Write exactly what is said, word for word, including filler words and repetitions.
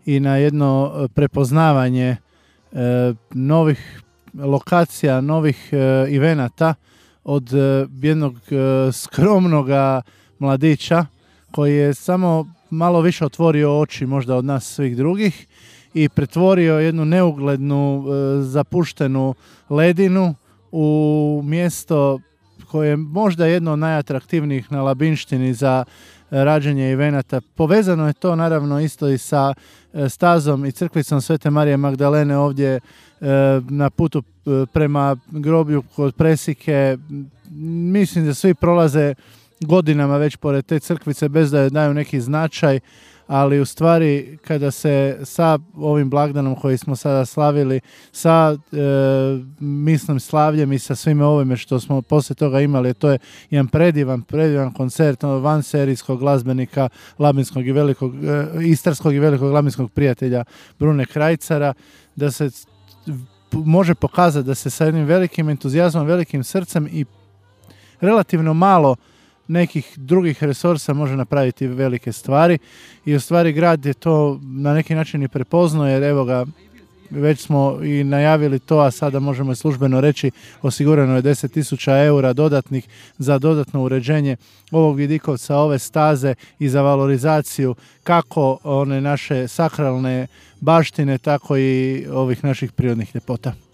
i na jedno prepoznavanje e, novih lokacija, novih e, evenata od e, jednog e, skromnog mladića koji je samo malo više otvorio oči možda od nas svih drugih i pretvorio jednu neuglednu, e, zapuštenu ledinu u mjesto koje je možda jedno od najatraktivnijih na Labinštini za rađenje evenata. Povezano je to naravno isto i sa stazom i crkvicom Svete Marije Magdalene ovdje e, na putu prema groblju kod Presike. Mislim da svi prolaze godinama već pored te crkvice bez da joj daju neki značaj, ali u stvari kada se sa ovim blagdanom koji smo sada slavili, sa e, mislim slavljem i sa svime ovime što smo poslije toga imali, to je jedan predivan, predivan koncert van serijskog glazbenika labinskog i velikog, e, istarskog i velikog labinskog prijatelja Brune Krajcara, da se može pokazati da se sa jednim velikim entuzijazmom, velikim srcem i relativno malo nekih drugih resursa može napraviti velike stvari i u stvari grad je to na neki način i prepoznao, jer evo ga, već smo i najavili to, a sada možemo i službeno reći, osigurano je deset tisuća eura dodatnih za dodatno uređenje ovog vidikovca, ove staze i za valorizaciju kako one naše sakralne baštine, tako i ovih naših prirodnih ljepota.